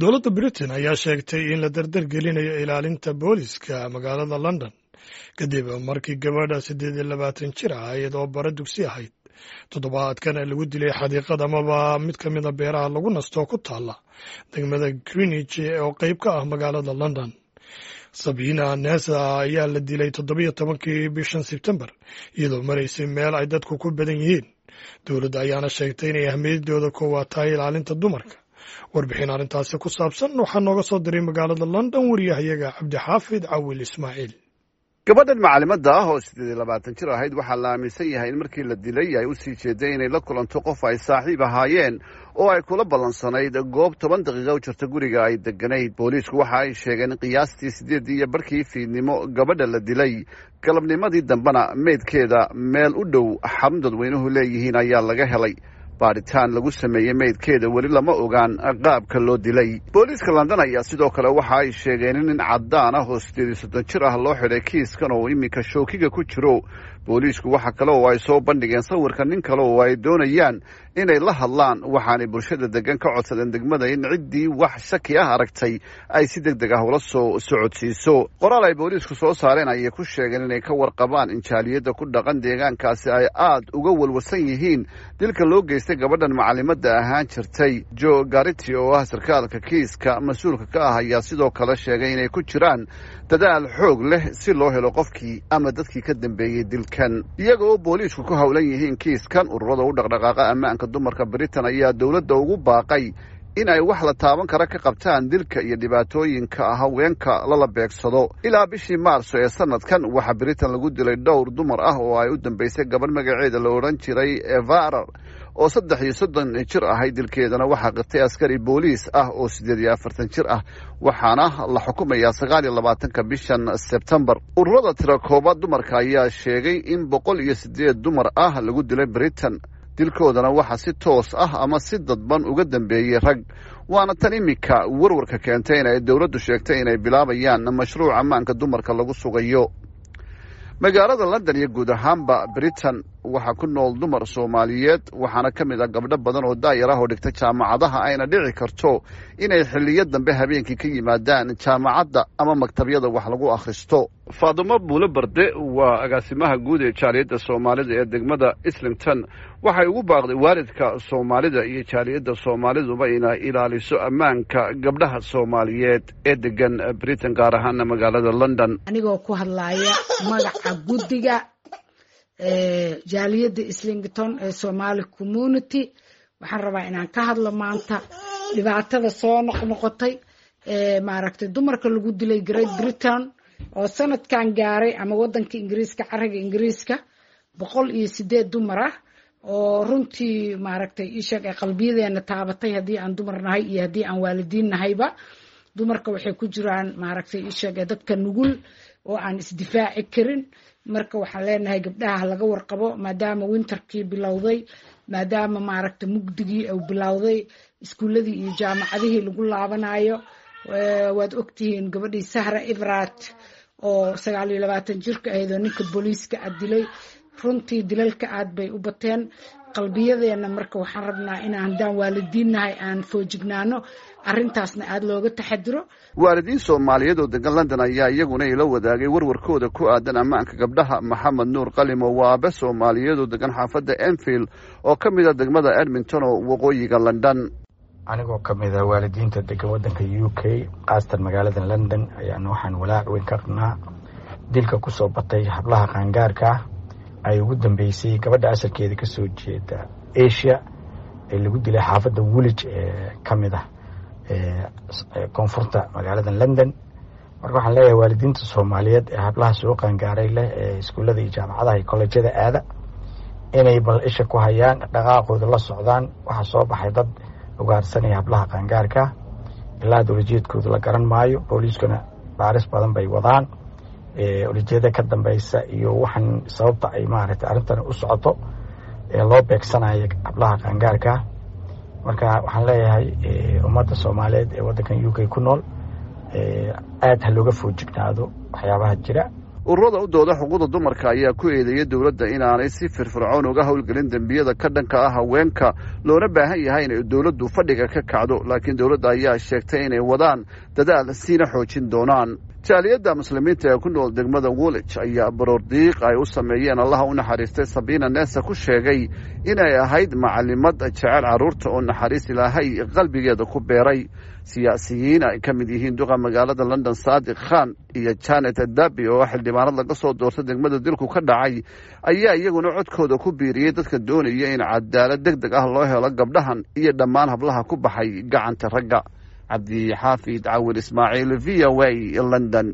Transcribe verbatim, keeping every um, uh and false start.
Dowladda Britain ayaa sheegtay in la dardar gelinayo ilaalinta booliska magaalada London, kadib markii gabadha siddeed iyo labaatan jir ah, iyadoo bara dugsi ahayd, toddobaadkan lagu dilay xadiiqad amaba mid ka mida beeraha lagu nasto ku taalla degmada Greenwich oo qeyb ka ah magaalada London. Sabina Nessa ayaa la dilay toddobiyo tobankii bishan Sebtembar, iyadoo maraysay meel ay dadku ku badan yihiin. Dowladda ayaana sheegtay inay ahmiyadooda koowaad tahay ilaalinta dumarka. Warbixin arrintaasi ku saabsan waxaa nooga soo diray magaalada London wariyahayaga Cabdixaafid Cawil Ismaaciil. Gabadhan macalimada ah oo siddeed iyo labaatan jir ahayd waxaa la aaminsan yahay in markii la dilay ay usii jeeday inay la kulanto qof ay saaxiib ahaayeen oo ay kula ballansanayd goob toban daqiiqa u jirta guriga ay deganayd. Booliisku waxa ay sheegeen in qiyaastii siddeeddii iyo barkii fiidnimo gabadha la dilay, galabnimadii dambena meydkeeda meel u dhow xarun dadweynuhu leeyihiin ayaa laga helay. Baadhitaan lagu sameeyey meydkeeda weli lama ogaan qaabka loo dilay. Booliiska London ayaa sidoo kale waxa ay sheegeen in nin caddaan ah oo siddeed iyo soddon jir ah loo xidhay kiiskan oo iminka shookiga ku jiro. Booliisku waxa kale oo ay soo bandhigeen sawirka nin kale oo ay doonayaan inay la hadlaan, waxaanay bulshada degan ka codsadeen degmada in ciddii wax shaki ah aragtay ay si deg deg ah ula soo socodsiiso. Qoraal ay booliisku soo saareen ayay ku sheegeen inay ka warqabaan in jaaliyadda ku dhaqan deegaankaasi ay aad uga walwasan yihiin dilka loo geystay gabadhan macalimada ahaan jirtay. Jo Garity oo ah sarkaalka kiiska mas-uulka ka ah ayaa sidoo kale sheegay inay ku jiraan dadaal xoog leh si loo helo qofkii ama dadkii ka dambeeyey dilkan. Iyaga oo booliisku ku howlan yihiin kiiskan, ururada u dhaqdhaqaaqa ammaanka dumarka Britain ayaa dowladda ugu baaqay in ay wax la taaban kara ka qabtaan dilka iyo dhibaatooyinka haweenka lala beegsado. Ilaa bishii Maarso ee sanadkan waxaa Britain lagu dilay dhowr dumar ah oo ay u dambeysay gabadh magaceeda la odhan jiray Evarar oo saddex iyo soddon jir ahay. Dilkeedana waxaa qirtay askari booliis ah oo siddeed iyo afartan jir ah, waxaana la xukumayaa sagaal iyo labaatanka bishan Sebtembar. Ururada tirakooba dumarka ayaa sheegay in boqol iyo siddeed dumar ah lagu dilay Britain, dilkoodana waxaa si toos ah ama si dadban uga dambeeyey rag, waana tan iminka warwarka keentay in ay dowladdu sheegtay inay bilaabayaan mashruuc ammaanka dumarka lagu sugayo. Magaalada London iyo guud ahaanba Britain waxaa ku nool dumar Soomaaliyeed, waxaana ka mid ah gabdho badan oo daayar ah oo dhigta jaamacadaha, ayna dhici karto inay xilliyo dambe habeenkii ka yimaadaan jaamacadda ama maktabyada wax lagu akhristo. Faadumo Buulo Barde waa agaasimaha guud ee jaaliyadda Soomaalida ee degmada Islington. Waxay ugu baaqday waalidka Soomaalida iyo jaaliyadda Soomaaliduba inay ilaaliso ammaanka gabdhaha Soomaaliyeed ee degan Britain, gaar ahaana magaalada London. Anigoo ku hadlaaya magaca guddiga jaaliyadda Islington ee Somali Community, waxaan rabaa inaan ka hadlo maanta dhibaatada soo noqnoqotay ee maaragtay dumarka lagu dilay Great Britain oo sanadkan gaaray ama wadanka Ingiriiska, cariga Ingiriiska, boqol iyo sideed dumar ah, oo runtii maaragtay isheeg ay qalbiyadeena taabatay haddii aan dumar nahay iyo haddii aan waalidiin nahayba. Dumarka waxay ku jiraan maaragtay isheeg dadka nugul oo aan isdifaaci karin. Marka waxaan leenahay gabdhaha laga warqabo, maadaama winterkii bilowday, maadaama maaragta mugdigii uu bilowday, iskuuladii iyo jaamacadihii lagu laabanayo. Waad ogtihiin gabadhii Sahra Everard oo sagaal iyo labaatan jirka ahayd oo ninka booliiska a dilay. Runtii dilalka aad bay u bateen qalbiyadeena. Marka waxaan rabnaa inaan haddaan waalidiinnahay aan foojignaano, arrintaasna aada looga taxadiro. Waalidiin Soomaaliyeed oo degan London ayaa iyaguna ila wadaagay warwarkooda ku aadan ammaanka gabdhaha. Maxamed Nuur Qalimo waa aabe Soomaaliyeed oo degan xaafadda Enfield oo ka mid a degmada Edmonton oo waqooyiga London. Anigoo ka mid a waalidiinta degan waddanka U K, khaasatan magaalada London, ayaan waxaan walaac weyn ka qabnaa dilka kusoo batay hablaha qaangaarka ah, ay ugu dambeysay gabadha asalkeeda kasoo jeeda Asia ee lagu dilay xaafadda Woolwich ee ka mid ah koonfurta magaalada London. Marka waxaan leeyahay waalidiinta Soomaaliyeed ee hablaha soo qaangaaray leh ee iskuullada iyo jaamacadaha iyo kolleejyada aada inay bal isha ku hayaan, dhaqaaqooda la socdaan. Waxaa soo baxay dad ugaarsanaya hablaha qaangaarka, ilaa dowlajeedkooda la garan maayo. Booliiskuna baaris badan bay wadaan, ulijeeda ka dambeysa iyo waxaan sababta ay maaragtay arrintan u socoto ee loo beegsanayo hablaha qaangaarka. Marka waxaan leeyahay ummadda Soomaaliyeed ee waddankan U K ku nool, aada ha looga foojignaado waxyaabaha jira. Ururada u dooda xuquuqda dumarka ayaa ku eedeeyay dowladda inaanay si firfircoon uga howlgelin dembiyada ka dhanka ah haweenka, loona baahan yahay inay dowladdu fadhiga ka kacdo, laakiin dowladda ayaa sheegtay inay wadaan dadaal siina xoojin doonaan. Jaaliyadda Muslimiinta ee ku nool degmada Woolwich ayaa baroordiiq ay u sameeyeen Allaha u naxariistay Sabiina Nessa ku sheegay inay ahayd macalimad jecel carruurta oo naxariis Ilaahay qalbigeeda ku beeray. Siyaasiyiin ay ka mid yihiin duqa magaalada London Saadiq Khan iyo Janet Daby oo xildhibaanad laga soo doortay degmada dilku ka dhacay ayaa iyaguna codkooda ku biiriyey dadka doonaya in cadaalad deg deg ah loo helo gabdhahan iyo dhammaan hablaha ku baxay gacanta ragga. Cabdixaafid Cawil Ismaaciil, V O A, London.